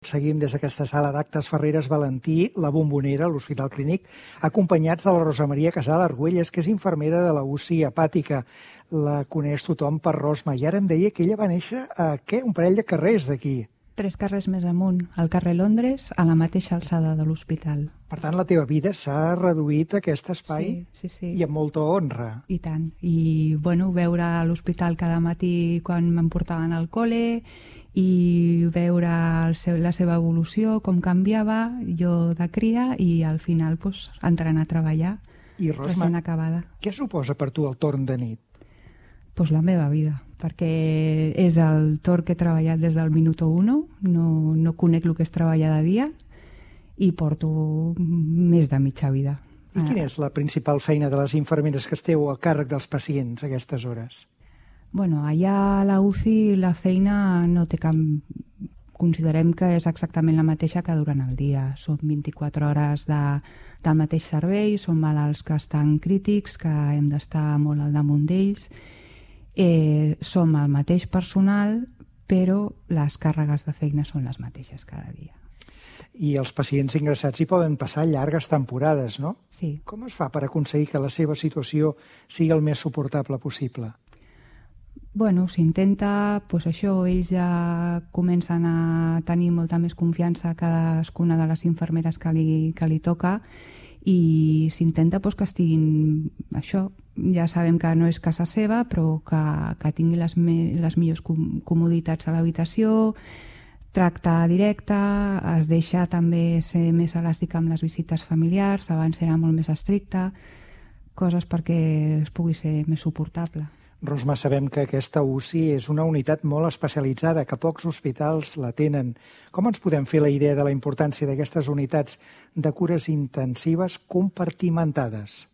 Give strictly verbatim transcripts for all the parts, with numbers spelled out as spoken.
Seguim des d'aquesta sala d'actes Ferreres Valentí, la Bombonera, a l'Hospital Clínic, acompanyats de la Rosa Maria Casal Argüelles, que és infermera de la U C I hepàtica. La coneix tothom per Rosma. I ara em deia que ella va néixer a, què, un parell de carrers d'aquí. Tres carrers més amunt, al carrer Londres, a la mateixa alçada de l'hospital. Per tant, la teva vida s'ha reduït a aquest espai sí, sí, sí. i amb molta honra. I tant. I, bueno, veure a l'hospital cada matí quan me'n portaven al col·le i veure el seu, la seva evolució, com canviava, jo de cria, i al final pues, entrant a treballar, I, Rosma, recent acabada. Què suposa per tu el torn de nit? Pues la meva vida, perquè és el torn que he treballat des del minuto uno, no, no conec el que és treballar de dia i porto més de mitja vida. I quina és la principal feina de les infermeres que esteu al càrrec dels pacients a aquestes hores? Bueno, allà a la U C I la feina no té cap... Considerem que és exactament la mateixa que durant el dia. Són vint-i-quatre hores de, del mateix servei, són malalts que estan crítics, que hem d'estar molt al damunt d'ells. Eh, som el mateix personal, però les càrregues de feina són les mateixes cada dia. I els pacients ingressats hi poden passar llargues temporades, no? Sí. Com es fa per aconseguir que la seva situació sigui el més suportable possible? Bueno, s'intenta, doncs això, ells ja comencen a tenir molta més confiança a cadascuna de les infermeres que li, que li toca i s'intenta doncs, que estiguin, això, ja sabem que no és casa seva, però que, que tingui les, me, les millors com, comoditats a l'habitació, tracte directe, es deixa també ser més elàstica amb les visites familiars, abans era molt més estricta, coses perquè es pugui ser més suportable. Rosma, sabem que aquesta U C I és una unitat molt especialitzada, que pocs hospitals la tenen. Com ens podem fer la idea de la importància d'aquestes unitats de cures intensives compartimentades?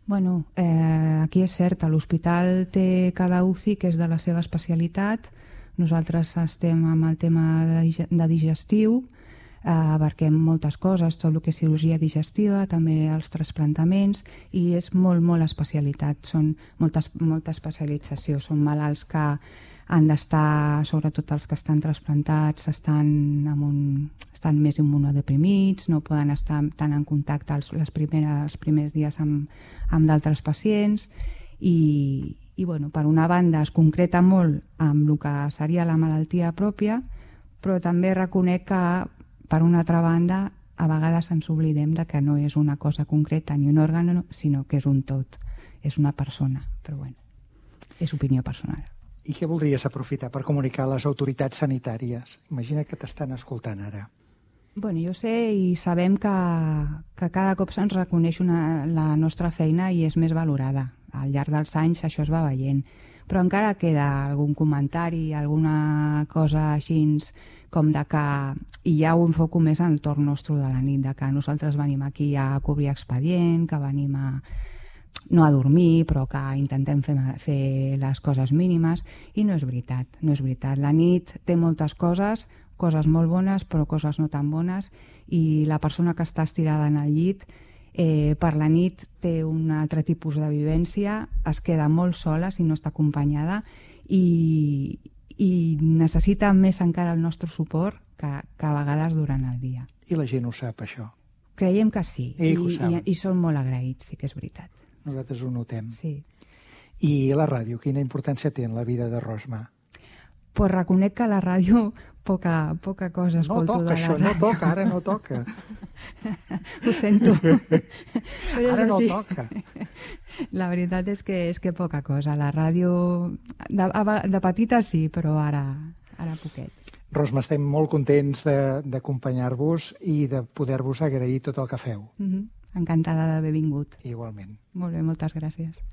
Bueno, eh, aquí és cert, l'hospital té cada U C I que és de la seva especialitat. Nosaltres estem amb el tema de, de digestiu, eh, abarquem moltes coses, tot el que és cirurgia digestiva, també els trasplantaments, i és molt, molt especialitat, són moltes, molta especialització, són malalts que han d'estar, sobretot els que estan trasplantats, estan, amb un, estan més immunodeprimits, no poden estar tan en contacte els, les primeres, els primers dies amb, amb d'altres pacients, i, i bueno, per una banda es concreta molt amb el que seria la malaltia pròpia, però també reconec que per una altra banda a vegades ens oblidem de que no és una cosa concreta ni un òrgan, sinó que és un tot, és una persona, però bueno, és opinió personal. I què voldries aprofitar per comunicar a les autoritats sanitàries? Imagina que t'estan escoltant ara. Bueno, jo sé i sabem que, que cada cop se'ns reconeix una, la nostra feina i és més valorada. Al llarg dels anys això es va veient. Però encara queda algun comentari, alguna cosa així com de que, i ja ho enfoco més en el torn nostre de la nit, de que nosaltres venim aquí a cobrir expedient, que venim a, no a dormir, però que intentem fer, fer les coses mínimes, i no és veritat, no és veritat. La nit té moltes coses, coses molt bones, però coses no tan bones, i la persona que està estirada en el llit Eh, per la nit té un altre tipus de vivència, es queda molt sola si no està acompanyada i, i necessita més encara el nostre suport que, que a vegades durant el dia. I la gent ho sap, això? Creiem que sí, I, i, i, i són molt agraïts, sí que és veritat. Nosaltres ho notem. Sí. I la ràdio, quina importància té en la vida de Rosma? Pues reconec que la ràdio poca, poca cosa escolto no toca, de la això, ràdio. No toca, ara no toca. Ho sento. Però ara no així. toca. La veritat és que és que poca cosa. La ràdio, de, de petita sí, però ara, ara poquet. Rosma, estem molt contents d'acompanyar-vos i de poder-vos agrair tot el que feu. Mm-hmm. Encantada d'haver vingut. Igualment. Molt bé, moltes gràcies.